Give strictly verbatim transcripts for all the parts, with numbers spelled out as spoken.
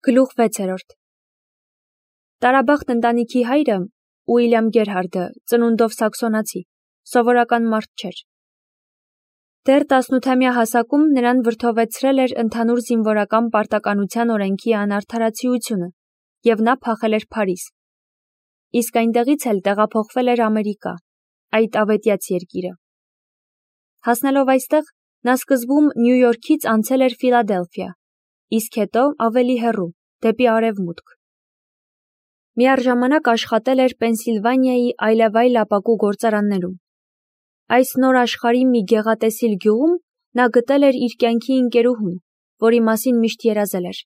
Գլուխ վեցերորդ Տարաբախտ ընտանիքի հայրը, Ուիլյամ Գերհարդը, ծնունդով սաքսոնացի, սովորական մարդ չէր։ Դեռ տասնութամյա հասակում նրան վրդովեցրել էր ընդհանուր զինվորական պարտականության օրենքի անարդարացիությունը, և նա փախել էր Փարիզ։ Իսկ այնտեղից էլ տեղափոխվել էր Ամերիկա, այդ ավետյաց երկիրը։ Հասնելով այստեղ, նա սկզբում Նյու Յորքից անցել էր Ֆիլադելֆիա, իսկ հետո ավելի հեռու, դեպի արևմուտք։ Միառժամանակ աշխատել էր Պենսիլվանիայի այլևայլ ապակու գործարաններում։ Այս նոր աշխարհի մի գեղատեսիլ գյուղում նա գտել էր իր կյանքի ընկերուհուն, որի մասին միշտ երազել էր։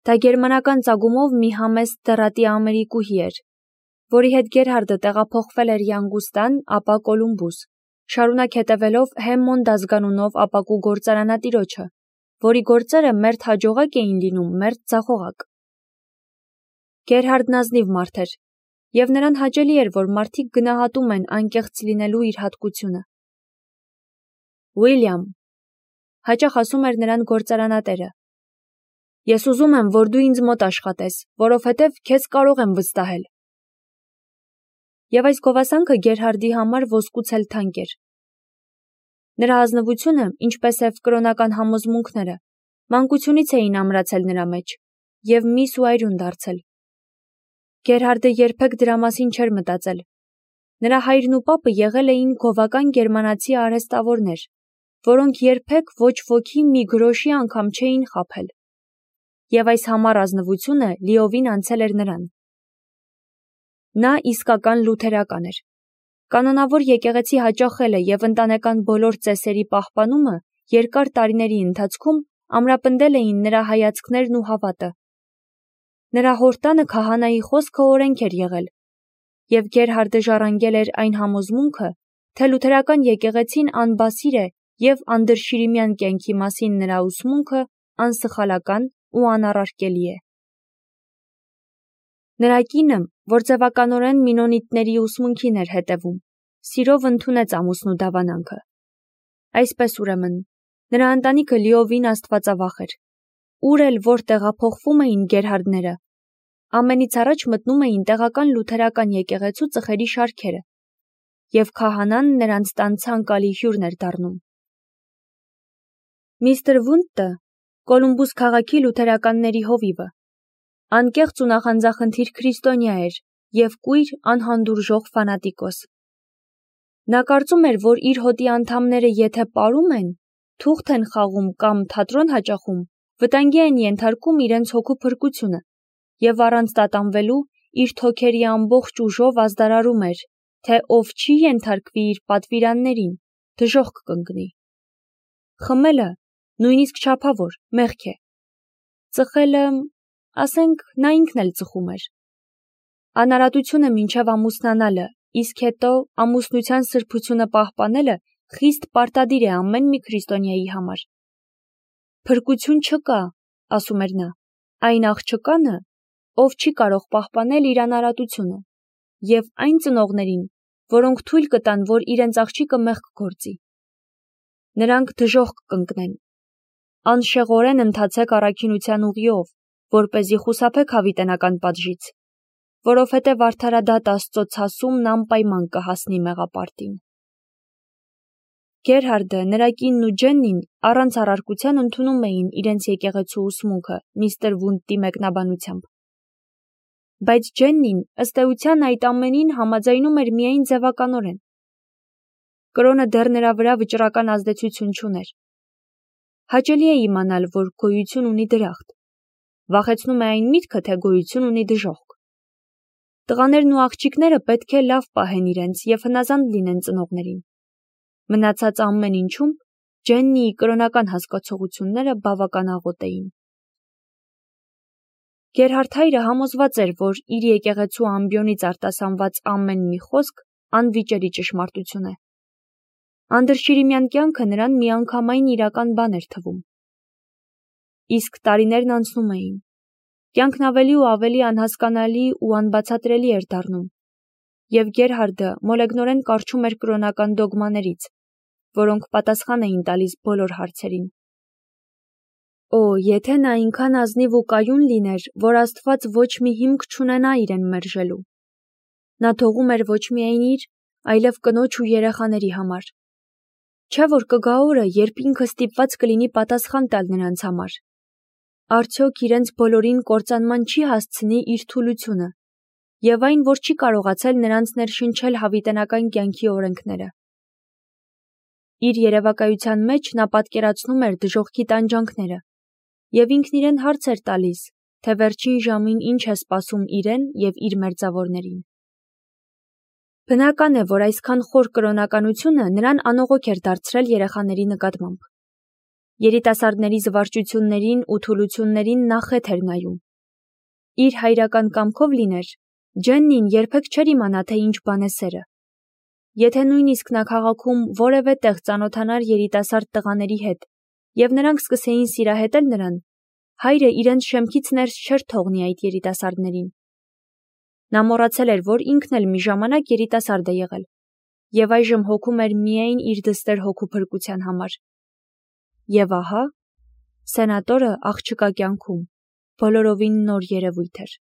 Դա գերմանական ծագումով մի համեստ դեռատի ամերիկուհի էր, որի հետ Գերհարդը տեղափոխվել էր Յանգուստան, ապա Կոլումբուս, շարունակ հետևելով Հեմմոնդ ազգանունով ապակու գործարանատիրոջը, որի գործերը մերթ հաջողակ էին լինում, մերթ ձախողակ։ Գերհարդն ազնիվ մարդ էր, և նրան հաճելի էր, որ մարդիկ գնահատում են անկեղծ լինելու իր հատկությունը։ Ուիլյամ, հաճախ ասում էր նրան գործարանատերը, ես ուզում եմ, որ դու ինձ մոտ աշխատես, որովհետև քեզ կարող եմ վստահել։ Եվ այս գովասանքը Գերհարդի համար ոսկուց էլ թանկ էր։ Նրա ազնվությունը, ինչպես և կրոնական համոզմունքները, մանկությունից էին ամրացել նրա մեջ և միս ու այրուն դարձել։ Գերհարդը երբեք դրա մասին չէր մտածել։ Նրա հայրն ու պապը եղել էին գովական գերմանացի արհեստավորներ, որոնք երբեք ոչ ոքի մի գրոշի անգամ չէին խաբել։ Եվ այս համառ ազնվությունը լիովին անցել էր նրան։ Նա իսկական լութերական էր։ Կանոնավոր եկեղեցի հաճախելը և ընտանեկան բոլոր ծեսերի պահպանումը երկար տարիների ընթացքում ամրապնդել էին նրա հայացքներն ու հավատը։ Նրա հոր տանը քահանայի խոսքը օրենք էր եղել, և Գերհարդը ժառանգել էր այն համոզմունքը, թե լութերական եկեղեցին անբասիր է և անդրշիրիմյան կյանքի մասին նրա ուսմունքը անսխալական ու անառարկելի է։ Նրա կինը, որ ձևականորեն մինոնիտների ուսմունքին էր հետևում, սիրով ընդունեց ամուսնու դավանանքը։ Այսպես ուրեմն, նրա ընտանիքը լիովին աստվածավախ էր։ Ուր էլ որ տեղափոխվում էին Գերհարդները, ամենից առաջ մտնում էին տեղական լութերական եկեղեցու ծխերի շարքերը, և քահանան նրանց տան ցանկալի հյուրն էր դառնում։ Միստր Վունդտը, Կոլումբուս քաղաքի լութերականների հովիվը, անկեղծ ու նախանձախնդիր քրիստոնյա էր և կույր անհանդուրժող ֆանատիկոս։ Նա կարծում էր, որ իր հոտի անդամները եթե պարում են, թուղթ են խաղում կամ թատրոն հաճախում, վտանգի են ենթարկում իրենց հոգու փրկությունը, և առանց տատանվելու իր թոքերի ամբողջ ուժով ազդարարում էր, թե ով չի ենթարկվի իր պատվիրաններին, դժոխք կընկնի։ Խմելը, նույնիսկ չափավոր, մեղք է։ Ծխելը, ասենք, նա ինքն էլ ծխում էր։ Անարատությունը մինչև ամուսնանալը, իսկ հետո ամուսնության սրբությունը պահպանելը խիստ պարտադիր է ամեն մի քրիստոնյայի համար։ Փրկություն չկա, ասում էր նա, այն աղջկանը, ով չի կարող պահպանել իր անարատությունը, և այն ծնողներին, որոնք թույլ կտան, որ իրենց աղջիկը մեղք գործի։ Նրանք դժոխք կընկնեն։ Անշեղորեն ընթացեք առաքինության ուղիով, որպեսզի խուսափեք հավիտենական պատժից, որովհետև արդարադատ Աստծո ցասումն անպայման կհասնի մեղապարտին։ Գերհարդը, նրա կինն ու Ջեննին առանց առարկության ընդունում էին իրենց եկեղեցու ուսմունքը միստր Վունդտի մեկնաբանությամբ։ Բայց Ջեննին, ըստ էության, այդ ամենին համաձայնում էր միայն ձևականորեն։ Կրոնը դեռ նրա վրա վճռական ազդեցություն չուներ։ Հաճելի է իմանալ, որ գոյություն ունի դրախտ։ Վախեցնում է այն միտքը, թե գոյություն ունի դժոխք։ Տղաներն ու աղջիկները պետք է լավ պահեն իրենց և հնազանդ լինեն ծնողներին։ Մնացած ամեն ինչում Ջեննիի կրոնական հասկացությունները բավական աղոտ էին։ Գերհարդ հայրը համոզված էր, որ իր եկեղեցու ամբիոնից արտասանված ամեն մի խոսք անվիճելի ճշմարտություն է։ Անդրշիրիմյան կյանքը նրան միանգամայն իրական բան էր թվում։ Իսկ տարիներն անցնում էին։ Կյանքն ավելի ու ավելի անհասկանալի ու անբացատրելի էր դառնում, և Գերհարդը մոլեգնորեն կառչում էր կրոնական դոգմաներից, որոնք պատասխան էին տալիս բոլոր հարցերին։ Օ, եթե նա այնքան ազնիվ ու կայուն լիներ, որ Աստված ոչ մի հիմք չունենա իրեն մերժելու։ Նա թողում էր ոչ միայն իր, այլև կնոջ ու երեխաների համար։ Չէ՞ որ կգա օրը, երբ ինքը ստիպված կլինի պատասխան տալ նրանց համար։ Արդյոք իրենց բոլորին կործանման չի հասցնի իր թուլությունը, եւ այն, որ չի կարողացել նրանց ներշնչել հավիտենական կյանքի օրենքները։ Իր երևակայության մեջ նա պատկերացնում էր դժոխքի տանջանքները, եւ ինքն իրեն հարց էր տալիս, թե վերջին ժամին ինչ է սպասում իրեն եւ իր մերձավորներին։ Բնական է, որ այսքան խոր կրոնականությունը նրան անողոք էր դարձրել երեխաների նկատմամբ։ Երիտասարդների զվարճություններին ու թուլություններին նա խեթ էր նայում։ Իր հայրական կամքով լիներ, Ջեննին երբեք չէր իմանա, թե ինչ բան է սերը։ Եթե նույնիսկ նա քաղաքում որևէ տեղ ծանոթանար երիտասարդ տղաների հետ, եւ նրանք սկսեին սիրահետել նրան, հայրը իրենց շեմքից ներս չէր թողնի այդ երիտասարդներին։ Նա մոռացել էր, որ ինքն էլ մի ժամանակ երիտասարդ է եղել, եւ այժմ հոգում էր միայն իր դստեր հոգու փրկության համար։ Եվ ահա, սենատորը աղջկա կյանքում բոլորովին նոր երևույթ էր։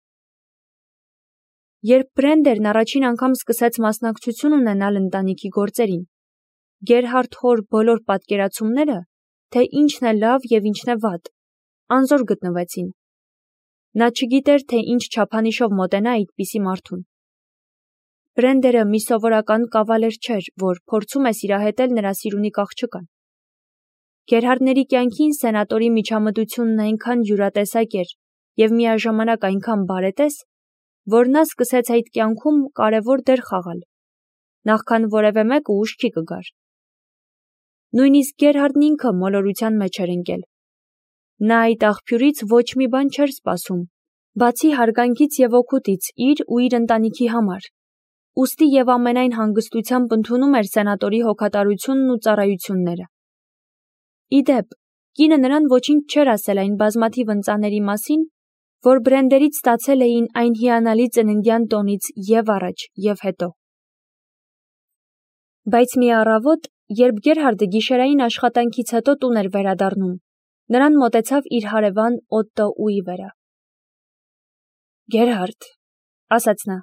Երբ Բրենդերն առաջին անգամ սկսեց մասնակցություն ունենալ ընտանիքի գործերին, Գերհարդ հոր բոլոր պատկերացումները, թե ինչն է լավ եւ ինչն է վատ, անզոր գտնվեցին։ Նա չգիտեր, թե ինչ չափանիշով մոտենա այդպիսի մարդուն։ Բրենդերը մի սովորական կավալեր չէր, որ փորձում է սիրահետել նրա սիրունիկ աղջկան։ Գերհարդների կյանքին սենատորի միջամտությունն այնքան յուրատեսակ էր եւ միաժամանակ այնքան բարետես, որ նա սկսեց այդ կյանքում կարևոր դեր խաղալ, նախքան որևէ մեկը ուշքի կգար։ Նույնիսկ Գերհարդն ինքը մոլորության մեջ էր ընկել։ Նա այդ աղբյուրից ոչ մի բան չէր սպասում, բացի հարգանքից եւ օգուտից իր ու իր ընտանիքի համար, ուստի եւ ամենայն հանգստությամբ ընդունում էր սենատորի հոգատարությունն ու ծառայությունները։ Իդեպ, կինը նրան ոչինչ չէր ասել այն բազմաթիվ ընծաների մասին, որ Բրենդերից ստացել էին այն հիանալի ծննդյան տոնից եւ առաջ եւ հետո։ Բայց մի առավոտ, երբ Գերհարդը գիշերային աշխատանքից հետո տուն էր վերադառնում, նրան մոտեցավ իր հարևան Օտտո Ուիվերը։ Գերհարդ, ասաց նա,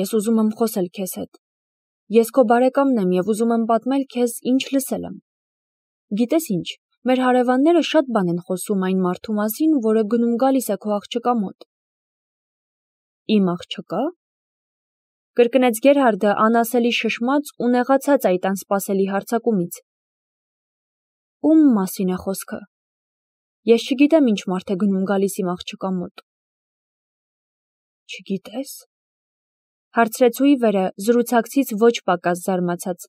ես ուզում եմ խոսել քեզ հետ։ Ես քո բարեկամն եմ եւ ուզում եմ պատմել քեզ, ինչ լսել եմ։ Գիտես ինչ, մեր հարևանները շատ բան են խոսում այն մարդու մասին, որը գնում գալիս է քո աղջկա մոտ։ Իմ աղջկա։ Կրկնեց Գերհարդը անասելի շշմած ու նեղացած այդ անսպասելի հարձակումից։ Ում մասին է խոսքը։ Ես չգիտեմ ինչ մարդ է գնում գալիս իմ աղջկա մոտ։ Չգիտես։ Հարցրեց Ուիվերը զրուցակցից ոչ պակաս զարմացած։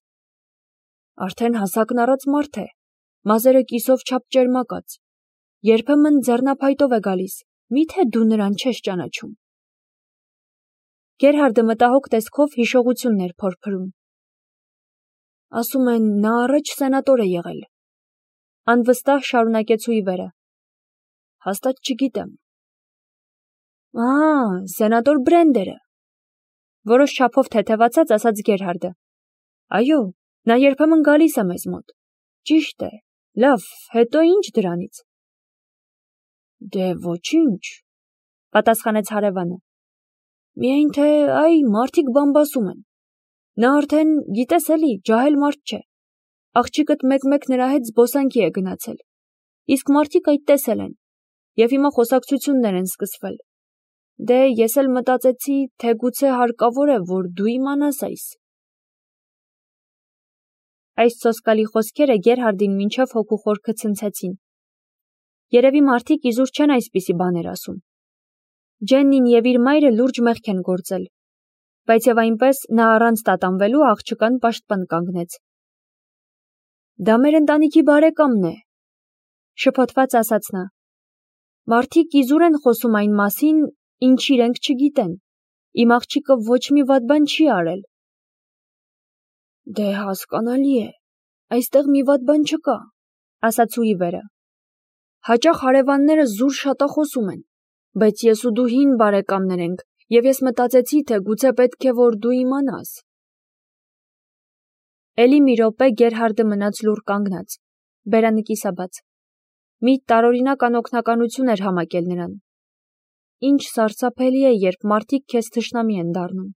Արդեն հասակն առած մարդ է, մազերը կիսով չափ ճերմակած, երբեմն ձեռնափայտով է գալիս, միթե դու նրան չես ճանաչում։ Գերհարդը մտահոգ տեսքով հիշողություններ փորփրում։ Ասում են, նա առաջ սենատոր է եղել։ Անվստահ շարունակեց Ուիվերը։ Հաստատ չգիտեմ։ Ահա, սենատոր Բրենդերը։ Որոշ չափով թեթևացած ասաց Գերհարդը։ Այո, նա երբեմն գալիս է մեզ մոտ։ Ճիշտ է։ Լավ, հետո ինչ դրանից։ Դե ոչինչ, պատասխանեց հարևանը։ Միայն թե այ մարդիկ բամբասում են։ Նա արդեն, գիտես էլի, ջահել մարդ չէ։ Աղջիկդ մեկ-մեկ նրա հետ զբոսանքի է գնացել։ Իսկ մարդիկ այդ տեսել են։ Եվ հիմա խոսակցություններ են սկսվել։ Դե ես էլ մտածեցի, թե գուցե հարկավոր է, որ դու իմանաս այս։ Այս սոսկալի խոսքերը Գերհարդին մինչև հոգու խորքը ցնցեցին։ Երևի մարդիկ իզուր չեն այսպիսի բաներ ասում։ Ջեննին եւ իր մայրը լուրջ մեղք են գործել, բայց եւ այնպես նա առանց տատանվելու աղջկան պաշտպան կանգնեց։ Դա մեր ընտանիքի բարեկամն է, շփոթված ասաց նա։ Մարդիկ իզուր են խոսում այն մասին, ինչ իրենք չգիտեն։ Իմ աղջիկը ոչ մի վատ բան չի արել։ Դե հասկանալի է, այստեղ մի վատ բան չկա, ասաց Ուիվերը։ Հաճախ հարևանները զուր շատախոսում են, բայց ես ու դու հին բարեկամներ ենք, եւ ես մտածեցի, թե գուցե պետք է որ դու իմանաս։ Էլի մի րոպե Գերհարդը մնաց լուռ կանգնած, բերանիկի սաբաց։ Մի տարօրինակ անօգնականություն էր համակել նրան։ Ինչ սարսափելի է, երբ մարդիկ քեզ թշնամի են դառնում։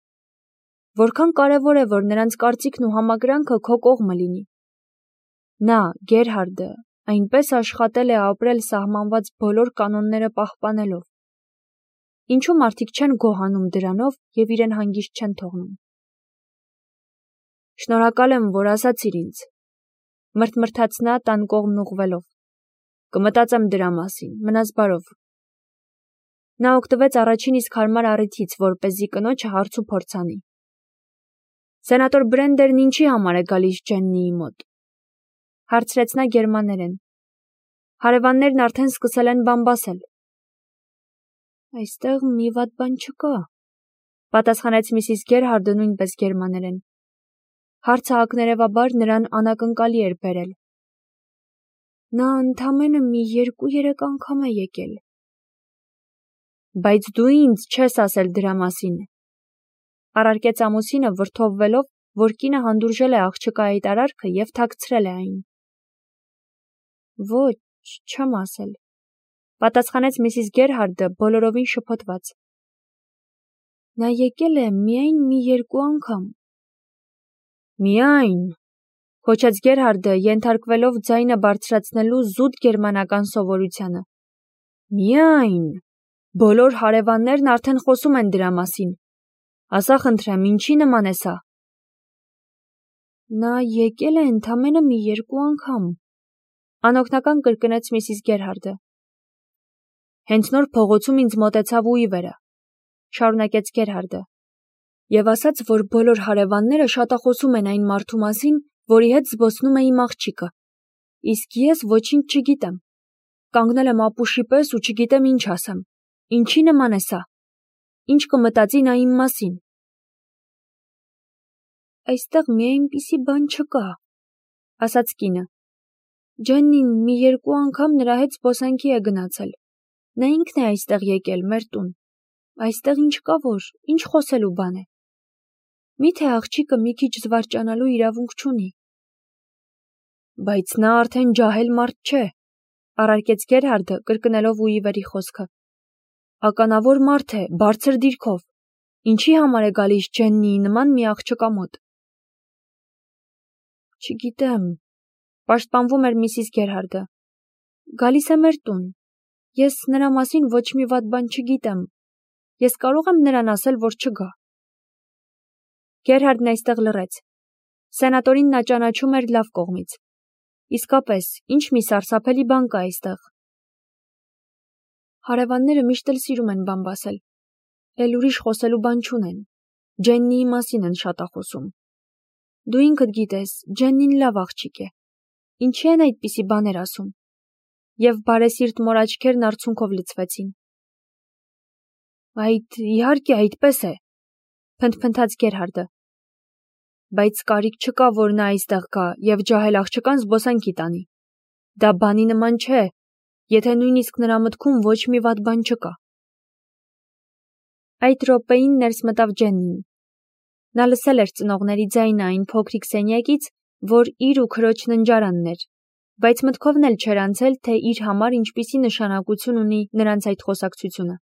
Որքան կարևոր է, որ նրանց կարծիքն ու համակրանքը քո կողմը լինի։ Նա, Գերհարդը, այնպես աշխատել է ապրել սահմանված բոլոր կանոնները պահպանելով։ Ինչու մարդիկ չեն գոհանում դրանով և իրեն հանգիստ չեն թողնում։ Շնորհակալ եմ, որ ասացիր ինձ, մրթմրթաց նա տան կողմն ուղղվելով։ Կմտածեմ դրա մասին, մնաս բարով։ Նա օգտվեց առաջին իսկ հարմար առիթից, որպեսզի կնոջը հարց ու փորձ անի։ Սենատոր Բրենդերն ինչի համար է գալիս Ջեննիի մոտ, հարցրեց նա գերմաներեն։ Հարևաններն արդեն սկսել են բամբասել։ Այստեղ մի վատ բան չկա, պատասխանեց Միսիս Գերհարդը նույնպես գերմաներեն։ Հարցը ակներևաբար նրան անակնկալի էր բերել։ Նա ընդամենը մի երկու-երեք անգամ է եկել։ Բայց դու ինձ չես ասել դրա մասին, առարկեց ամուսինը վրդովվելով, որ կինը հանդուրժել է աղջկա հայտարարքը և թաքցրել է այն։ Ոչ, չեմ ասել, պատասխանեց Միսիս Գերհարդը բոլորովին շփոթված։ Նա եկել է միայն մի երկու անգամ։ Միայն, հոչեց Գերհարդը, ենթարկվելով ձայնը բարձրացնելու զուտ գերմանական սովորությանը։ Միայն, բոլոր հարևաններն արդեն խոսում են դրա մասին։ Ասա խնդրեմ, ինչի նման է սա։ Նա եկել է ընդամենը մի երկու անգամ, անօգնական կրկնեց Միսիս Գերհարդը։ Հենց նոր փողոցում ինձ մոտեցավ ու ի վերը, շարունակեց Գերհարդը, և ասաց, որ բոլոր հարևանները շատախոսում են այն մարդու մասին, որի հետ զբոսնում է իմ աղջիկը, իսկ ես ոչինչ չգիտեմ, կանգնել եմ ապուշի պես ու չգիտեմ ինչ ասեմ, ինչի նման է սա, ինչ կմտածի նա իմ մասին։ Այստեղ մի այնպիսի բան չկա, ասաց կինը։ Ջեննին մի երկու անգամ նրա հետ զբոսանքի է գնացել։ Նա ինքն է այստեղ եկել, մեր տուն։ Այստեղ ինչ կա, որ, ինչ խոսելու բան է։ Միթե աղջիկը մի քիչ զվարճանալու իրավունք չունի։ Բայց նա արդեն ջահել մարդ չէ, առարկեց Գերհարդը, կրկնելով ու ի վերի խոսքը։ Ականավոր մարդ է, բարձր դիրքով։ Ինչի համար է գալիս Ջեննիի նման մի աղջկա մոտ։ Չգիտեմ, պաշտպանվում էր Միսիս Գերհարդը։ Գալիս է մեր տուն։ Ես նրա մասին ոչ մի վատ բան չգիտեմ։ Ես կարող եմ նրան ասել, որ չգա։ Գերհարդն այստեղ լռեց։ Սենատորին նա ճանաչում էր լավ կողմից։ Իսկապես, ինչ մի սարսափելի բան կա այստեղ։ Հարևանները միշտ էլ սիրում են բամբասել։ Էլ ուրիշ խոսելու բան չունեն։ Ջեննիի մասին են շատախոսում։ Դու ինքդ գիտես, Ջեննին լավ աղջիկ է։ Ինչի են այդպիսի բաներ ասում։ Եվ բարեսիրտ մոր աչքերն արցունքով լցվեցին։ Այդ իհարկե այդպես է, փնթփնթաց Գերհարդը։ Բայց կարիք չկա, որ նա այստեղ գա և ջահել աղջկան զբոսանքի տանի։ Դա բանի նման չէ, եթե նույնիսկ նրա մտքում ոչ մի վատ բան չկա։ Այդ րոպեին ներս մտավ Ջեննին։ Նա լսել էր ծնողների ձայնը այն փոքրիկ սենյակից, որ իր ու քրոջ ննջարանն էր, բայց մտքովն էլ չէր անցել, թե իր համար ինչպիսի նշանակություն ունի նրանց այդ խոսակցությունը։